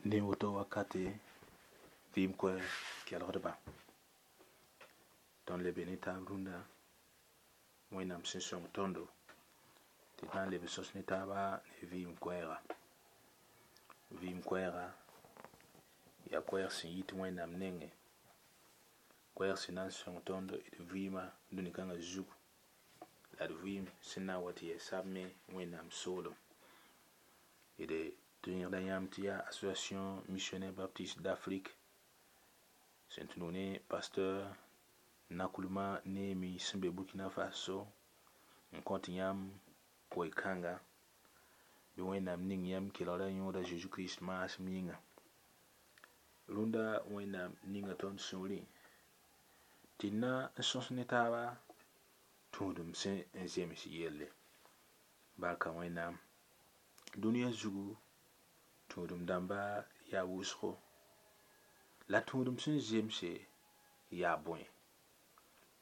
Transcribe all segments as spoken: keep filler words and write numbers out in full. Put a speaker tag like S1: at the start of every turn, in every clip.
S1: Ne woto wakate vɩɩm koɛɛg kelgdba tõnd le be ne taab rũndã Wẽnnaam sẽn sõng tõndo tɩ d na n leb n sõs ne taaba ne vɩɩm koɛɛga vɩɩm koɛɛga yaa koɛɛg sẽn yit Wẽnnaam nengẽ koɛɛg sẽn na n sõng tõnd d vɩɩmã dũni kãngã zugu la d vɩɩm sẽn na n wa tɩ yɛ sabme Wẽnnaam soolem d tɩ yẽgda yãmb tɩ yaa Association Missionnaire Baptiste d'Afrique sẽn tũ ne pasteur Nakulma Neemi sẽn be Burkina Faso n kõt yãmb koe-kãnga bɩ Wẽnnaam ning yãmb kelgra yõoda Zeezi Kirist maasem yĩnga rũndã Wẽnnaam ninga tõnd sũurẽ tɩ d na n sõs ne taaba tũudem sẽn n zems yelle barka Wẽnnaam dũniyã zugu tũudem dãmba yaa wʋsgo la tũudem sẽn zemse yaa bõe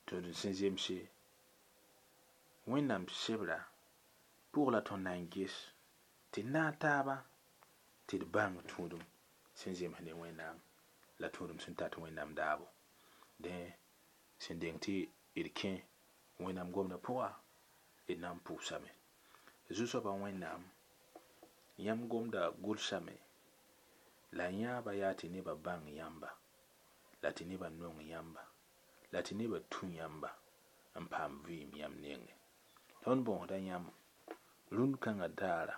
S1: tũudem sẽn zemse Wẽnnaam sebra pʋg la tõnd na n ges tɩ naag taaba tɩ d bãng tũudem sẽn zems ne Wẽnnaam la tũudem sẽn tat Wẽnnaam daabo dẽ sẽn deng tɩ d kẽ Wẽnnaam gomdã pʋga d na n pʋʋsame Zu-soabã Wẽnnaam yãmb gomda gʋlsame la yãaba yaa tɩ nebã bãng yãmba la tɩ nebã nong yãmba la tɩ nebã tũ yãmba n paam vɩɩm yãmb nengẽ tõnd bõosda yãmb rũnd kãngã daara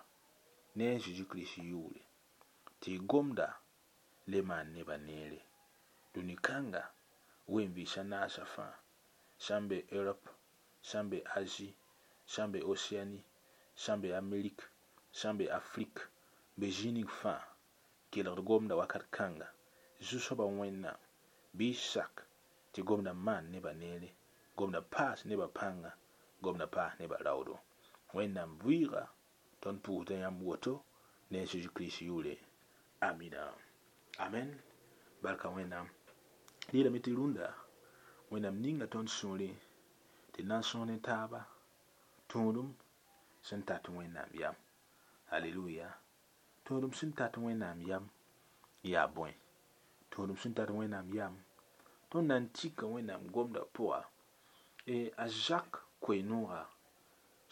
S1: ne a Zeezi Kirist yʋʋre tɩ y gomda le maan nebã neere dũni kãnga wen-vɩɩsã naasã fãa sã n be Europe sã n be Asie sã n be Océanie sã n be Amerik sã n be Afrik be zĩig ning fãa kelgd gomda wakat kãnga Zu-soabã Wẽnnaam bɩ y sak tɩ gomda maan nebã neere gomda paas nebã pãnga gomda paas nebã raoodo Wẽnnaam vɩɩga tõnd pʋʋsda yãmb woto ne a Zeezi Kirist yʋʋre amina amen barka Wẽnnaam d yeelame tɩ rũndã Wẽnnaam ninga tõnd sũurẽ tɩ na n sõs ne taaba tũudem sẽn tat Wẽnnaam yam aleluya tũudem sẽn tat Wẽnnaam yam yaa bõe tũudem sẽn tat Wẽnnaam yam tõnd na n tika Wẽnnaam gomdã pʋga e a Jacques koe-noogã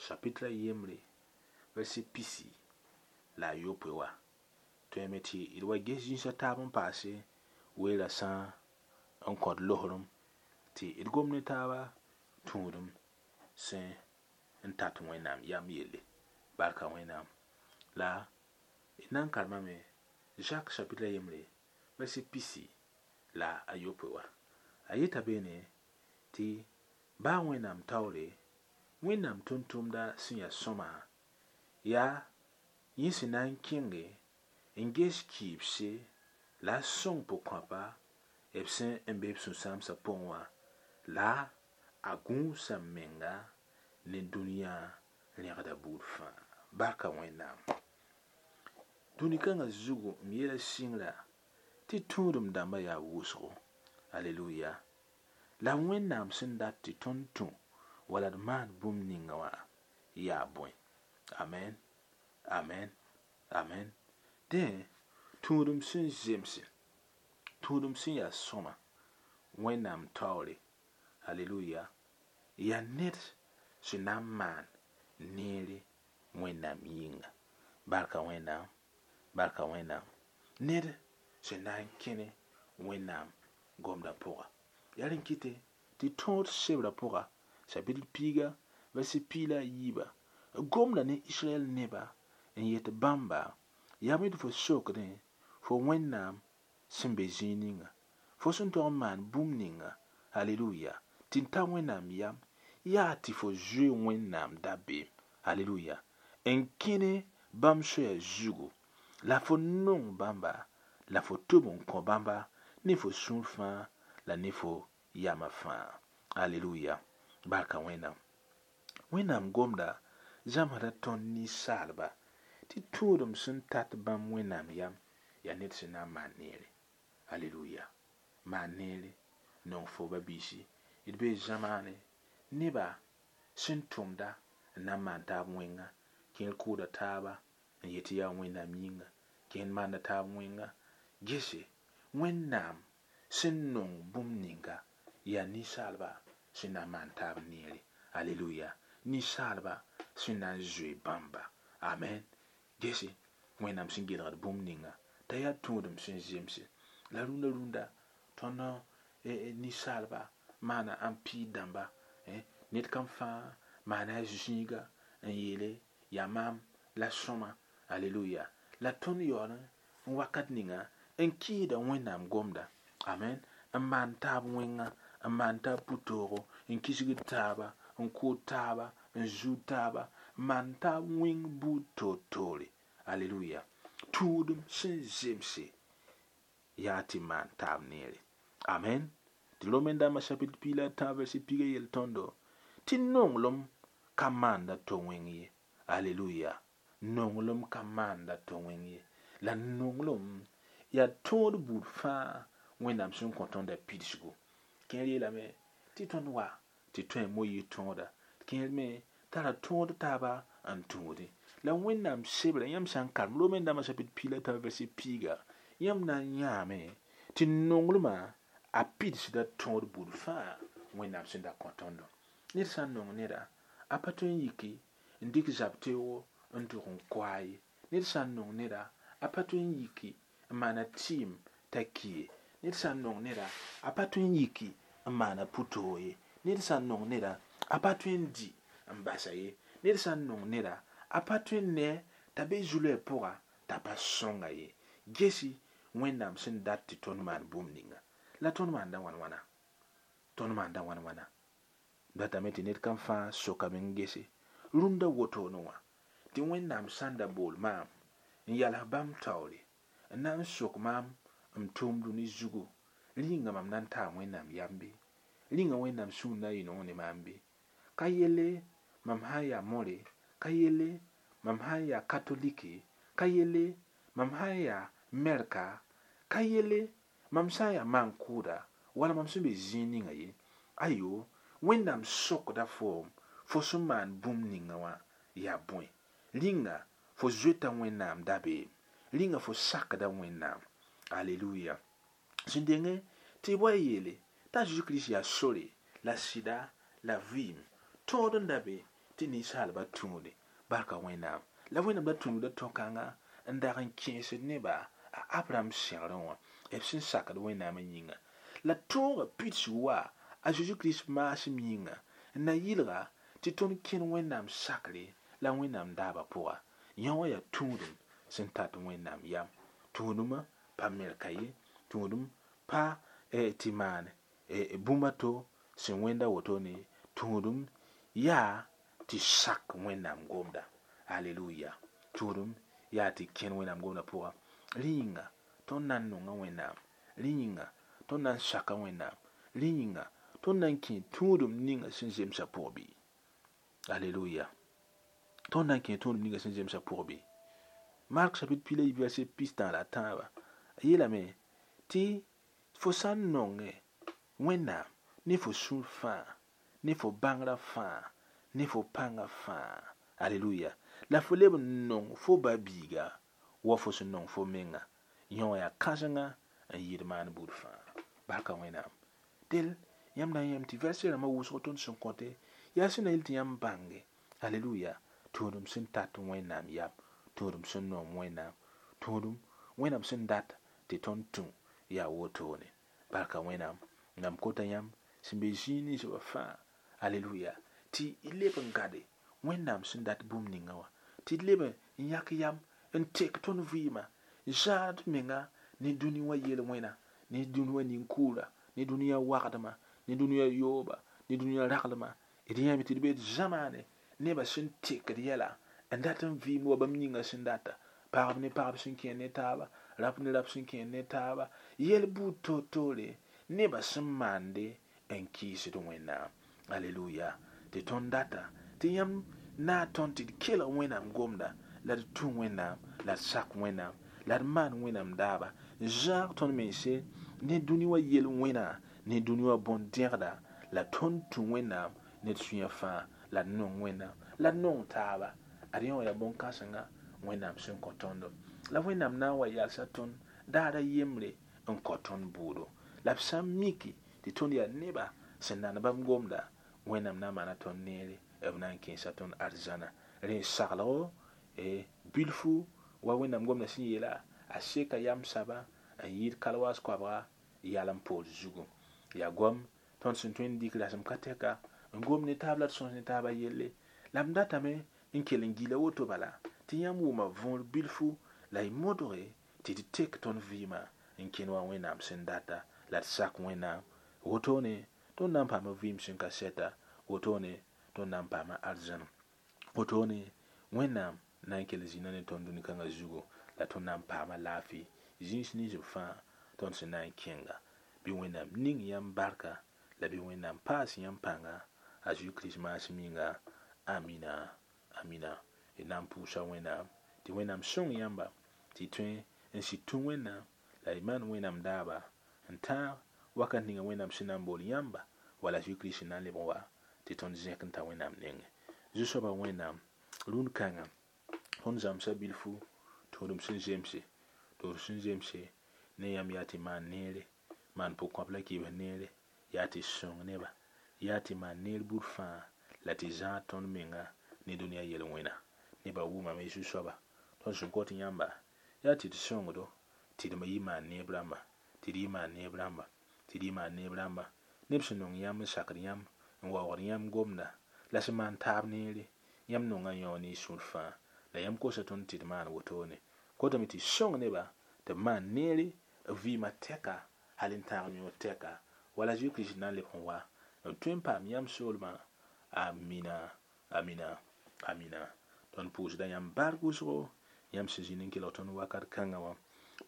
S1: chapitre a yembre verset pisi la a yopoe wa tõeme tɩ d wa ges zĩisã taab n paase weera sã n kõt losrem tɩ d gom ne taaba tũudem sẽn n tat Wẽnnaam yam yelle barka Wẽnnaam la d na n karemame Jacques chapitre a yembre verset pisi la a yopoe wa a yeta beene tɩ baa Wẽnnaam taoore Wẽnnaam tʋm-tʋmda sẽn yaa sõma yaa yẽ sẽn na n kẽnge n ges kɩɩbse la a sõng pʋg-kõapa b sẽn n be b sũ-sãamsã pʋgẽ wã la a gũusa menga ne dũniyã rẽgda buud fãa barka Wẽnnaam dũni kãngã zugu m yeela sɩngrã tɩ tũudem dãmbã yaa wʋsgo aleluya la Wẽnnaam sẽn dat tɩ tõnd tũ wala d maan bũmb ninga wã yaa bõe amen amen amen dẽ tũudem sẽn zemse tũudem sẽn yaa sõma Wẽnnaam taoore aleluya yaa ned sẽn na n maan neere Wẽnnaam yĩnga barka Wẽnnaam barka Wẽnnaam ned sẽn na n kẽne Wẽnnaam gomdã pʋga yaa rẽn kɩte tɩ tõod sebrã pʋga chapitre piiga verset piig la a yiiba gomda ne Israɛl neba n yet bãmba yaa bõe tɩ fo sokdẽ fo Wẽnnaam sẽn be zĩig ninga fo sẽn tog n maan bũmb ninga aleluya tɩ n ta Wẽnnaam yam yaa tɩ fo zoe Wẽnnaam dabeem aleluya n kẽne bãmb soaya zugu la fo nong bãmba la fo tʋb n kõ bãmba ne fo sũur fãa la ne fo yamã fãa aleluya barka Wẽnnaam Wẽnnaam gomda zãmsda tõnd ninsaalba tɩ tũudem sẽn tat bãmb Wẽnnaam yam yaa ned sẽn na n maan neere aleluya maan neere nong fo ba-biisi d bee zamaane neba sẽn tʋmda n na n maan taab wẽnga kẽer kʋʋda taaba n yet tɩ yaa Wẽnnaam yĩnga kẽer maanda taab wẽnga Gese Wẽnnaam sẽn nong bũmb ninga yaa ninsaalba sẽn na n maan taab neere. Aleluya. Ninsaalba sẽn na n zoe bãmba. Amen. Gese Wẽnnaam sẽn gelgd bũmb ninga t'a yaa tũudem sẽn zemse. La rũndã rũndã tõnd ninsaalba maana ãmpiid dãmba ned kam fãa maana a zĩiga n yeele yaa maam la sõma. Aleluya. La tõnd yaool n wakat ninga n kɩɩsda Wẽnnaam gomda. Amen. N maan taab wẽnga, n maan taab pʋ-toogo, n kisgd taaba, n kʋʋd taaba, n zuud taaba, n maan taab wẽng buud toor-toore. Aleluya. Tũudem sẽn zemse yaa tɩ maan taab neere. Amen. Tɩ Romen dãmbã chapitre piig la a tãab verset piiga yel tõndo tɩ nonglem ka maanda to wẽng ye. Aleluya. Nonglem ka maanda to wẽng ye. La nonglem yaa tõod buud fãa Wẽnnaam sẽn kõ tõndã pidsgu. Kẽer yeelame tɩ tõnd wa tɩ tõe n Moyiis tõoda. Kẽer me tara tõod taaba n tũudẽ. La Wẽnnaam sebrã yãmb sã n karem Romen dãmbã chapitre piig la a tãab verset piiga yãmb na n yãame tɩ nonglmã a pidsda tõod buud fãa Wẽnnaam sẽn da kõ tõndo. Ned sã n nong neda a pa tõe n yiki n dɩk zab teoogo n tʋg n koa ye. Ned sã n nong neda a pa tõe n yiki n maana tɩɩm t'a ki ye. Ned sã n nong neda a pa tõe n yiki n maana pʋ-toog ye. Ned sã n nong neda a pa tõe n dɩ n basa ye. Ned sã n nong neda a pa tõe n ne t'a be zu-loɛɛ pʋga t'a pa sõnga ye. Gesi Wẽnnaam sẽn dat tɩ tõnd maan bũmb ninga. La tõnd maanda wãn wãna? Tõnd maanda wãn wãna? Datame tɩ ned kam fãa sokame n gese rũndã wotone wã tɩ Wẽnnaam sã n da bool maam n yals bãmb taoore n na n sok maam m tʋʋm dũni zugu rĩnga mam na n taa Wẽnnaam yam bɩ rĩnga Wẽnnaam sũur na n yɩ nong ne maam bɩ ka yelle mam sã n yaa more ka yelle mam sã n yaa katoliki ka yelle mam sã n yaa mɛrka ka yelle mam sã n yaa maan-kʋʋda wala mam sẽn be zĩig ninga ye. Ayo, Wẽnnaam sokda foom fo sẽn maan bũmb ninga wã yaa bõe. Rĩnga fo zoeta Wẽnnaam dabeem. Rĩnga fo sakda Wẽnnaam. Aleluya. Sẽn denge tɩ b wa yeele t'a Zeezi Kirist yaa sore la sɩda la vɩɩm tõod n da be tɩ ninsaalba tũude barka Wẽnnaam. La Wẽnnaam da tũnuda tõ-kãnga n dag n kẽesd neba a Abraham sẽgrẽ wã b sẽn sakd Wẽnnaam yĩnga. La tõogã pidsg wa a Zeezi Kirist maasem yĩnga n na yɩlga tɩ tõnd kẽn Wẽnnaam sakre la Wẽnnaam daabã pʋga. Yã wã yaa tũudem sẽn tat Wẽnnaam yam. Tũudmã pa merka ye, tũudem pa tɩ maan bũmb a to sẽn wẽnda wotone. Tũudem yaa tɩ sak Wẽnnaam gomda. Aleluya. Tũudem yaa tɩ kẽn Wẽnnaam gomda pʋga. Rẽ yĩnga tõnd na n nonga Wẽnnaam. Rẽ yĩnga tõnd na n saka Wẽnnaam. Rẽ yĩnga tõnd na n kẽ tũudem ninga sẽn zemsã pʋg bɩ. Aleluya. Tõnd na n kẽ tũudem ninga sẽn zemsã pʋg bɩ. Mark chapitre piig la yiib verset pistã la a tãabã a yeelame tɩ fo sã n nongẽ Wẽnnaam ne fo sũur fãa ne fo bãngrã fãa ne fo pãngã fãa. Aleluya. La fo leb n nong fo ba-biiga wa fo sẽn nong fo menga. Yõ wã yaa kãsenga n yɩɩd maan buud fãa. Barka Wẽnnaam. Del yãmb na n yãmb tɩ verset rãmbã wʋsg tõnd sẽn kõte yaa sẽn na yel tɩ yãmb bãnge. Aleluya. Tũudem sẽn tat Wẽnnaam yam, tũudem sẽn noom Wẽnnaam, tũudem Wẽnnaam sẽn dat tɩ tõnd tũ yaa wotone. Barka Wẽnnaam. Mam kota yãmb sẽn be zĩig ninsbã fãa. Aleluya. Tɩ y leb n gade Wẽnnaam sẽn dat bũmb ninga wã tɩ d leb n yãk yam n tek tõnd vɩɩmã n zãad menga ne dũni wã yel-wẽna ne dũni wã nin-kʋʋra ne dũniyã wagdmã ne dũniyã yooba ne dũniyã raglmã. D yãame tɩ d be d zamaane nebã sẽn tekd yɛla n dat n vɩɩmd wa bãmb yĩngã sẽn data. Pagb ne pagb sẽn kẽer ne taaba, rap ne rap sẽn kẽer ne taaba, yɛl buud toor-toore nebã sẽn maande n kɩɩsd Wẽnnaam. Aleluya. Tɩ tõnd data tɩ yãmb na n tõnd tɩ d kelg Wẽnnaam gomda la d tũ Wẽnnaam la d sak Wẽnnaam la d maan Wẽnnaam daaba n zãag tõnd mense ne dũni wã yel-wẽna ne dũni wã bõn-dẽgda la tõnd tũ Wẽnnaam ne d sũyã fãa la d nong Wẽnnaam la d nong taaba. Ad yõ wã yaa bõn-kãsenga Wẽnnaam sẽn kõ tõndo. La Wẽnnaam na n wa yalsa tõnd Daara yembre n kõ tõnd bʋʋdo la b sã n miki tɩ tõnd yaa neba sẽn nan bãmb gomda wẽnnaam na n maana tõnd neere b na n kẽesa tõnd arzãna rẽ saglgo bilfu wa wẽnnaam gomda sẽn yeela a seka yam saba n yɩɩd kalwaas koabga yalem poor zugu yaa goam tõnd sẽn tõe n dɩk rasem ka tɛka n gom ne taab la d sõs ne taabã yelle la m datame n kell n gila woto bala tɩ yãmb wʋma võor bilfu la y modge tɩ d tek tõnd vɩɩmã n kẽn wa wẽnnaam sẽn data la d sak wẽnnaam wotone tõnd na n paama vɩɩm sẽn ka sɛta wotone tõnd na n paama arzãn wotone wẽnnaam na n kell zĩna ne tõnd dũni-kãngã zugu la tõnd na n paama laafɩ zĩis nins b fãa tõnd sẽn na n kẽnga bɩ wẽnnaam ning yãmb barka la bɩ wẽnnaam paas yãmb pãnga a Zeezi Kirist maasem yĩnga amina amina d na n pʋʋsa wẽnnaam tɩ wẽnnaam sõng yãmba tɩ y tõe n sɩd tũ wẽnnaam la y maan wẽnnaam daaba n tãag wakat ninga wẽnnaam sẽn na n bool yãmba wala Zeezi Kirist sẽn na n leb n wa tɩ tõnd zẽk n ta wẽnnaam nengẽ zu-soaba wẽnnaam rũnd kãngã tõnd zãmsa bilfu tũudem sẽn zemse tʋʋd sẽn zemse ne yãmb yaa tɩ maan neere maan pʋg-kõap la kibs neere yaa tɩ sõng neba yaa tɩ maan neer buud fãa la tɩ zãag tõnd menga ne dũniyã yel-wẽna nebã wʋmame zu-soaba tõnd sẽn kot yãmba yaa tɩ d sõngdo tɩ d yɩ maan neeb rãmba tɩ d yɩ maan neeb rãmba tɩ d yɩ maan neeb rãmba neb sẽn nong yãmb n sakd yãmb n waoogd yãmb gomda la sẽn maan taab neere yãmb nonga yão ne y sũur fãa la yãmb kosa tõnd tɩ d maan wotone kotame tɩ sõng neba tɩ b maan neere b vɩɩmã tɛka hal n tãag yõod tɛka wala Zeezi Kirist na n lebg n wa n tõe n paam yãmb soolmã amina amina amina tõnd pʋʋsda yãmb bark wʋsgo yãmb sẽn zĩnd n kelg tõnd wakat kãngã wã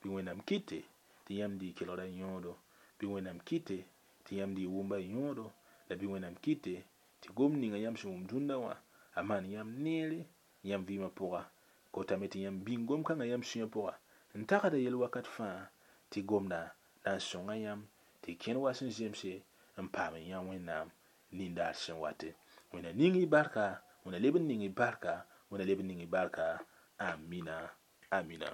S1: bɩ wẽnnaam kɩte tɩ yãmb dɩ kelgda yõodo bɩ wẽnnaam kɩte tɩ yãmb dɩ wʋmba yõodo la bɩ wẽnnaam kɩte tɩ gom ninga yãmb sẽn wʋm dũnna wã a maan yãmb neere yãmb vɩɩmã pʋga kotame tɩ yãmb bĩng gom-kãngã yãmb sũyã pʋga n tagsda yel wakat fãa tɩ gomda na n sõnga yãmb tɩ kẽn wa sẽn zemse n paam n yã wẽnnaam nindaar sẽn wate wẽnna ning y barka wẽnna leb n ning y barka wẽnna leb n ning y barka amina amina.